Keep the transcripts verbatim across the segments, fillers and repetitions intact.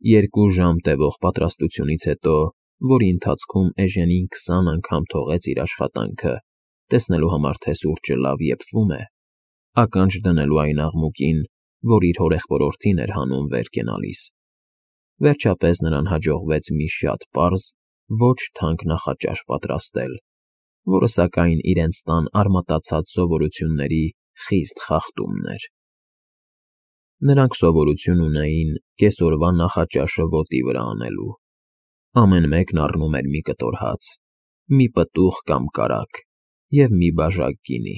Երկու ժամ տևող պատրաստությունից հետո, որի ընթացքում Էժենին քսան անգամ թողեց իր աշխատանքը, տեսնելու համար, թե սուրճը լավ եփվում է, ականջ դնելու այն աղմուկին, որ իր հորեղբորորդին էր հանում վեր կենալիս, վերջապես նրան հաջողվեց մի շատ պարզ, ոչ թանկ նախաճաշ պատրաստել, որը, սակայն, իրենց տան արմատացած սովորությունների խիստ խախտումն էր։ Նրանք սովորություն ունեին կեսօրվա նախաճաշը ոտի վրա անելու. ամեն մեկն առնում էր մի կտոր հաց, մի պտուղ կամ կարագ և մի բաժակ գինի։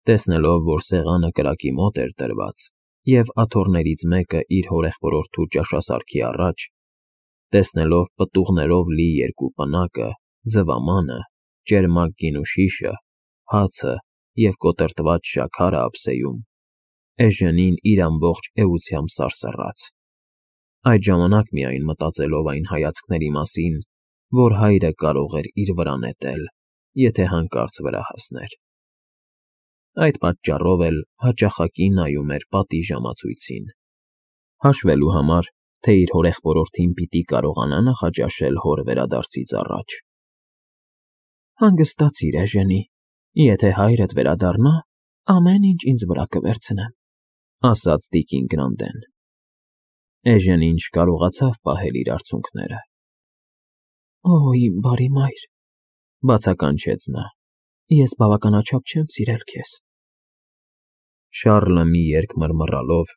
Տեսնելով, որ սեղանը կրակի մոտ էր դրված, և աթոռներից մեկը իր հորեղբորորդու ճաշասարքի առաջ, տեսնելով պտուղներով լի երկու պնակը, ձվամանը, ճերմակ գինու շիշը, հացը և կոտրտված շաքարը ափսեում, Էժենին իր ամբողջ էությամբ սարսռաց։ Այդ ժամանակ միայն մտածելով այն հայացքների մասին, որ հայրը կարող էր իր վրա նետել, եթե հանկարծ վրա հասներ։ Այդ պատճառով էլ հաճախակի նայում էր պատի ժամացույցին, հաշվելու համար, թե իր հորեղբորորդին պիտի կարողանա նախաճաշել հոր վերադարձից առաջ։ Հանգստացիր, Էժենի, եթե հայրդ վերադառնա, ամեն ինչ ինձ վրա կվերցնեմ, ասաց տիկին Գրանտեն։ Էժենին չկարողացավ պահել իր արցունքները։ Օ, իմ բարի մայր, բացականչեց նա, ես բավականաչափ չեմ սիրել քեզ։ Շառլը մի երգ մռմռալով,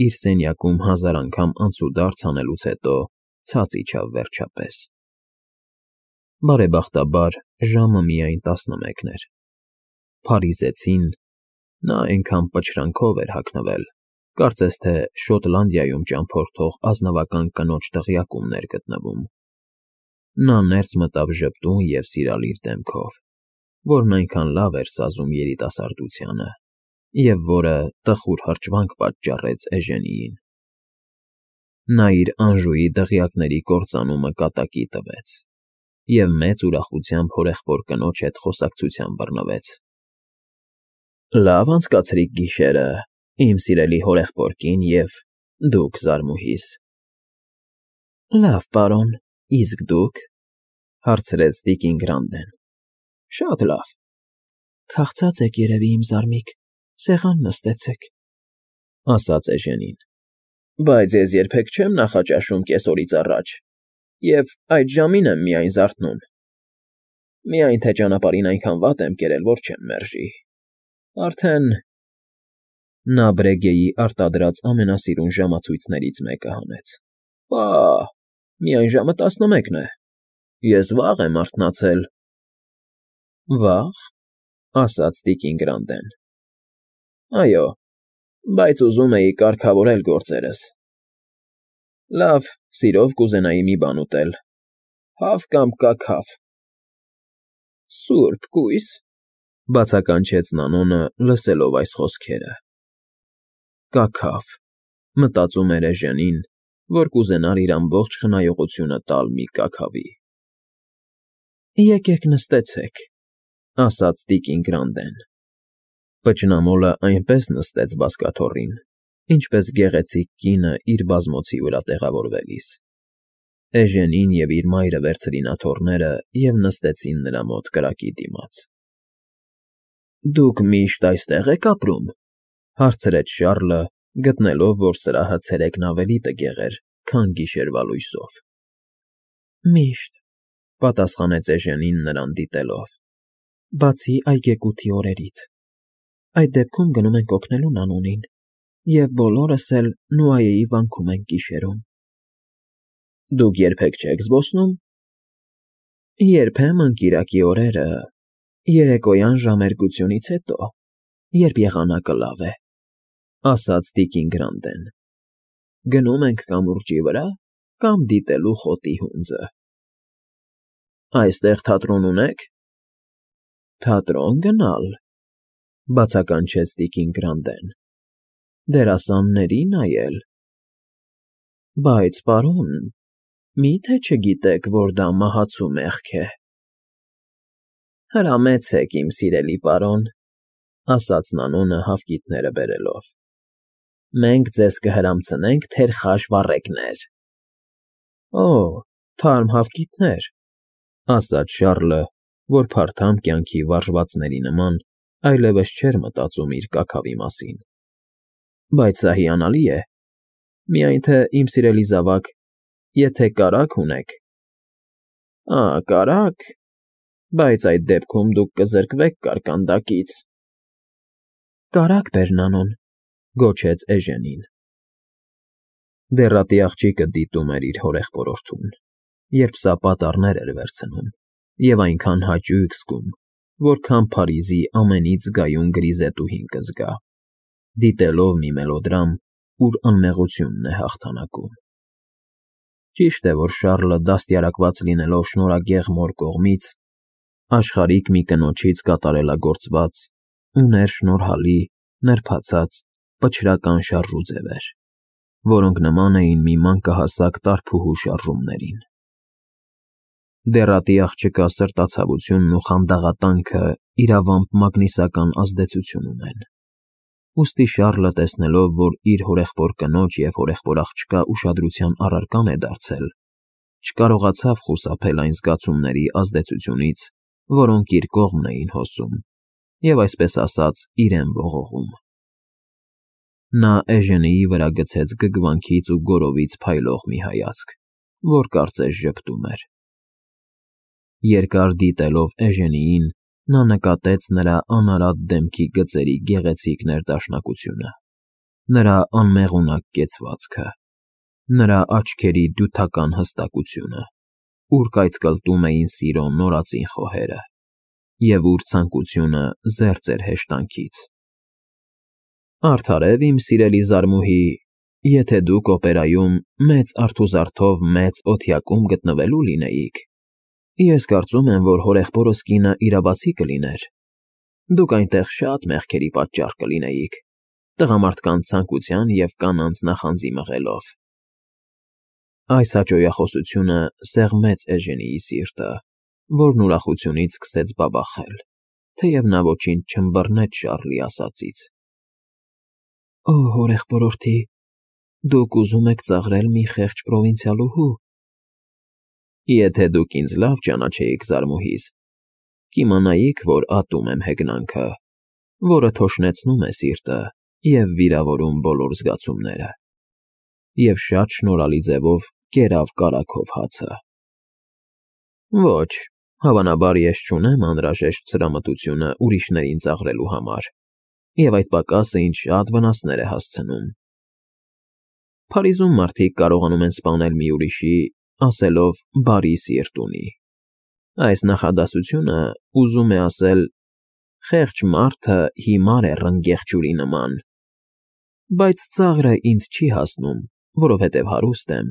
իր սենյակում հազար անգամ անցուդարձ անելուց հետո ցած իջավ վերջապես։ Բարեբախտաբար, ժամը միայն տասնմեկն էր։ Փարիզեցին (նա այնքան պչրանքով էր հագնվել, կարծես թե Շոտլանդիայում ճամփորդող ազնվական կնոջ դղյակումն էր գտնվում) նա ներս մտավ ժպտուն և սիրալիր դեմքով, որն այնքան լավ էր սազում երիտասարդությանը, և որը տխուր հրճվանք պատճառեց Էժենիին։ Նա իր Անժուի դղյակների կործանումը կատակի տվեց և մեծ ուրախությամբ հորեղբոր կնոջ հետ խոսակցության բռնվեց։ Լավ անցկացրիք գիշերը, իմ սիրելի հորեղբոր կին և դուք զարմուհիս։ Լավ, պարոն, իսկ դուք, հարցրեց տիկին Գրանտեն։ Շատ լավ։ Քաղցած եք երևի, իմ զարմիկ, սեղան նստեցեք, ասաց Էժենին։ Բայց ես երբեք չեմ նախաճաշում կեսօրից առաջ և այդ ժամին եմ միայն զարթնում, միայն թե ճանապարհին այնքան վատ եմ կերել, որ չեմ մերժի, արդեն… Նա Բրեգեի արտադրած ամենասիրուն ժամացույցներից մեկը հանեց։ Պաաա՜, միայն ժամը տասնմեկն է, ես վաղ եմ արթնացել։ Վաղ, ասաց տիկին Գրանտեն։ Այո, բայց ուզում էի կարգավորել գործերս։ Լավ, սիրով կուզենայի մի բան ուտել, հավ կամ կաքավ։ Սուրբ կույս, բացականչեց Նանոնը, լսելով այս խոսքերը։ Կաքավ, մտածում էր Էժենին, որ կուզենար իր ամբողջ խնայողությունը տալ մի կաքավի։ Եկեք նստեցեք, ասաց տիկին Գրանտեն։ Պճնամոլը այնպես նստեց բազկաթոռին, ինչպես գեղեցիկ կինը իր բազմոցի վրա տեղավորվելիս։ Էժենին և իր մայրը վերցրին աթոռները և նստեցին նրա մոտ կրակի դիմաց։ Դուք միշտ այստե՞ղ եք ապրում, հարցրեց Շառլը, գտնելով, որ սրահը ցերեկն ավելի տգեղ էր, քան գիշերվա լույսով։ Միշտ, պատասխանեց Էժենին նրան դիտելով, բացի այգեգութի օրերից։ Այդ դեպքում գնում ենք օգնելու Նանոնին, և բոլորս էլ Նուայեի վանքում ենք գիշերում։ Դուք երբեք չեք զբոսնում։ Երբեմն կիրակի օրերը, երեկոյան ժամերկությունից հետո, երբ եղանակը լավ է, ասաց տիկին Գրանտեն։ Գնում ենք կամուրջի վրա կամ դիտելու խոտի հունձը։ Այստեղ թատրոն ունե՞ք։ Թատրոն գնալ, բացականչեց տիկին Գրանտեն։ Դերասանների նայել։ Բայց, պարոն, մի՞թե չգիտեք, որ դա մահացու մեղք է։ Հրամեցեք, իմ սիրելի պարոն, ասաց Նանոնը հավկիթները բերելով։ Մենք ձեզ կհրամցնենք թերխաշ վառեկներ։ Օ, թարմ հավկիթներ, ֊ ասաց Շառլը, որ փարթամ կյանքի վարժվածների նման այլևս չէր մտածում իր կաքավի մասին։ ֊ Բայց սա հիանալի է, միայն թե, իմ սիրելի զավակ, եթե կարագ ունեք… ֊ Ա, կարագ… Բայց այդ դեպքում դուք կզրկվեք կարկանդակից… ֊ Կարագ բեր, Նանոն,֊ գոչեց Էժենին։ Դեռատի աղջիկը դիտում էր իր հորեղբորորդուն, երբ սա պատառներ էր վերցնում, և այնքան հաճույք զգում, որքան Փարիզի ամենից զգայուն գրիզետուհին կզգա, դիտելով մի մելոդրամ, ուր անմեղությունն է հաղթանակում։ Ճիշտ է, որ Շառլը, դաստիարակված լինելով շնորհագեղ մոր կողմից, աշխարհիկ մի կնոջից կատարելագործված, ուներ շնորհալի, նրբացած, պչրական շարժուձևեր, որոնք նման էին մի մանկահասակ տարփուհու շարժումներին։ Դեռատի աղջկա սրտացավությունն ու խանդաղատանքը իրավամբ մագնիսական ազդեցություն ունեն։ Ուստի Շառլը, տեսնելով, որ իր հորեղբոր կնոջ և հորեղբոր աղջկա ուշադրության առարկան է դարձել, չկարողացավ խուսափել այն զգացումների ազդեցությունից, որոնք իր կողմն էին հոսում և, այսպես ասած, իրեն ողողում։ Նա Էժենիի վրա գցեց գգվանքից ու գորովից փայլող մի հայացք, որ կարծես ժպտում էր։ Երկար դիտելով Էժենիին, նա նկատեց նրա անարատ դեմքի գծերի գեղեցիկ ներդաշնակությունը, նրա անմեղունակ կեցվածքը, նրա աչքերի դյութական հստակությունը, ուր կայծկլտում էին սիրո նորածին խոհերը, և ուր ցանկությունը զերծ էր հեշտանքից։ Արդարև, իմ սիրելի զարմուհի, եթե դուք օպերայում մեծ արթուզարդով մեծ օթյակում գտնվելու լինեիք, ես կարծում եմ, որ հորեղբորս կինը իրավացի կլիներ, դուք այնտեղ շատ մեղքերի պատճառ կլինեիք, տղամարդկանց ցանկության և կանանց նախանձի մղելով… Այս հաճոյախոսությունը սեղմեց Էժենիի սիրտը, որն ուրախությունից սկսեց բաբախել, թեև նա ոչինչ չըմբռնեց Շառլի ասածից։ ֊ Օ, հորեղբորորդի, դուք ուզում եք ծաղրել մի խեղճ պրովինցիալուհու… Եթե դուք ինձ լավ ճանաչեիք, զարմուհիս, կիմանայիք, որ ատում եմ հեգնանքը, որը թոշնեցնում է սիրտը և վիրավորում բոլոր զգացումները, և շատ շնորհալի ձևով կերավ կարագով հացը։ Ոչ, հավանաբար ես չունեմ անհրաժեշտ սրամտությունը ուրիշներին ծաղրելու համար, և այդ պակասը ինձ շատ վնասներ է հասցնում։ Փարիզում մարդիկ կարողանում են սպանել մի ուրիշի, ասելով «բարի սիրտ ունի»։ Այս նախադասությունը ուզում է ասել. «Խեղճ մարդը հիմար է ռնգեղ ջուրի նման», բայց ծաղրը ինձ չի հասնում, որովհետև հարուստ եմ,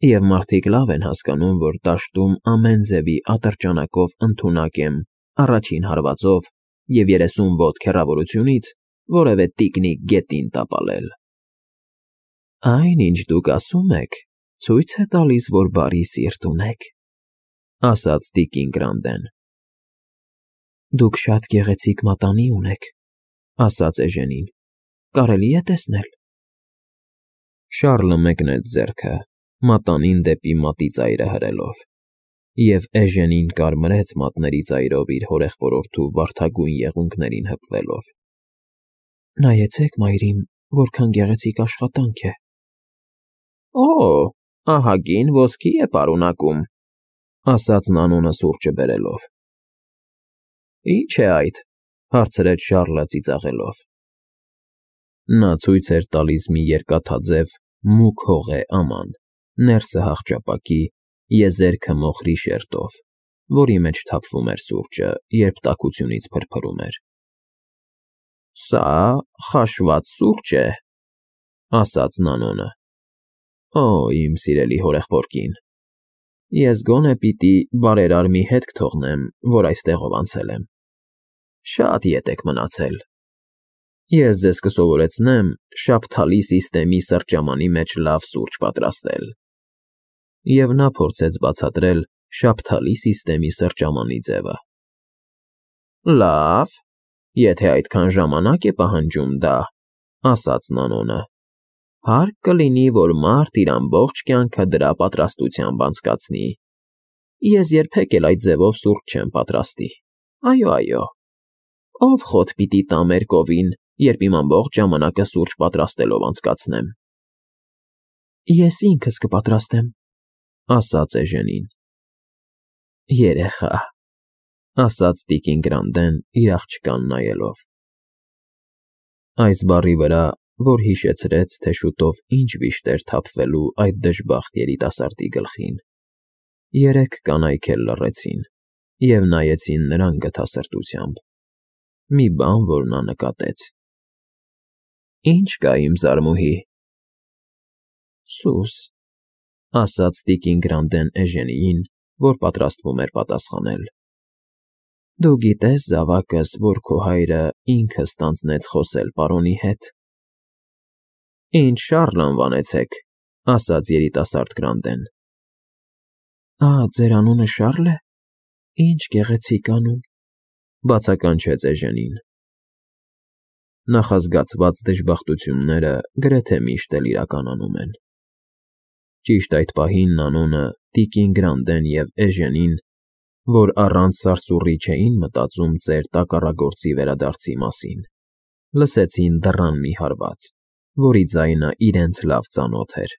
և մարդիկ լավ են հասկանում, որ դաշտում ամեն ձևի ատրճանակով ընդունակ եմ առաջին հարվածով և երեսուն ոտք հեռավորությունից որևէ տիկնիկ գետին տապալել։ ֊ Այն, ինչ դուք ասում եք, ցույց է տալիս, որ բարի սիրտ ունեք, ֊ ասաց տիկին Գրանդեն։ ֊ Դուք շատ գեղեցիկ մատանի ունեք, ֊ ասաց Էժենին, ֊ կարելի է տեսնել։ Շառլը մեկնեց ձեռքը, մատանին դեպի մատի ծայրը հրելով, և Էժենին կարմրեց մատների ծայրով իր հորեղբորորդու վարդագույն եղունգներին հպվելով։ ֊ Նայեցեք, մայրիկ, որքան գեղեցիկ աշխատանք է… ֊ Օ, ահագին ոսկի է պարունակում, ֊ ասաց Նանոնը սուրճը բերելով։ ֊ Ի՞նչ է այդ, ֊ հարցրեց Շառլը ծիծաղելով։ Նա ցույց էր տալիս մի երկաթաձև, մուգ հողե աման, ներսը հախճապակի, եզերքը մոխրի շերտով, որի մեջ թափվում էր սուրճը, երբ տաքությունից փրփրում էր։ ֊ Սա խաշված սուրճ է, ֊ ասաց Նանոնը։ ֊ Օ, իմ սիրելի հորեղբոր կին, ես գոնե պիտի բարերար մի հետք թողնեմ, որ այստեղով անցել եմ. շատ ետ եք մնացել… Ես ձեզ կսովորեցնեմ շաբթալի սիստեմի սրճամանի մեջ լավ սուրճ պատրաստել… Եվ նա փորձեց բացատրել շաբթալի սիստեմի սրճամանի ձևը։ ֊ Լավ, եթե այդքան ժամանակ է պահանջում դա, ֊ ասաց Նանոնը, Հարկ կլինի, որ մարդ իր ամբողջ կյանքը դրա պատրաստությամբ անցկացնի։ Ես երբեք էլ այդ ձևով սուրճ չեմ պատրաստի։ Այո, այո, ով խոտ պիտի տա մեր կովին, երբ իմ ամբողջ ժամանակը սուրճ պատրաստելով անցկացնեմ։ Ես ինքս կպատրաստեմ, ասաց Էժենին։ Երեխա, ասաց տիկին Գրանտեն իր աղջկան նայելով։ Այս բառի վրա, որ հիշեցրեց, թե շուտով ինչ վիշտ էր թափվելու այդ դժբախտ երիտասարդի գլխին, երեք կանայք էլ լռեցին և նայեցին նրան գթասրտությամբ, մի բան, որ նա նկատեց։ Ի՞նչ կա, իմ զարմուհի։ Սուս, ասաց տիկին Գրանտեն Էժենիին, որ պատրաստվում էր պատասխանել։ Դու գիտես, զավակս, որ քո հայրը ինքը ստանձնեց խոսել պարոնի հետ։ Ինձ Շառլ անվանեցեք, ասաց երիտասարդ Գրանտեն։ Ա, ձեր անունը Շառլ է։ Ինչ գեղեցիկ անուն, բացականչեց Էժենին։ Նախազգացված դժբախտությունները գրեթե միշտ էլ իրականանում են։ Ճիշտ այդ պահին անունը տիկին Գրանտեն և Էժենին, որ առանց սարսուռի չէին մտածում ծեր տակառագործի վերադարձի մասին, լսեցին դռան մի հարված, որի ձայնը իրենց լավ ծանոթ էր։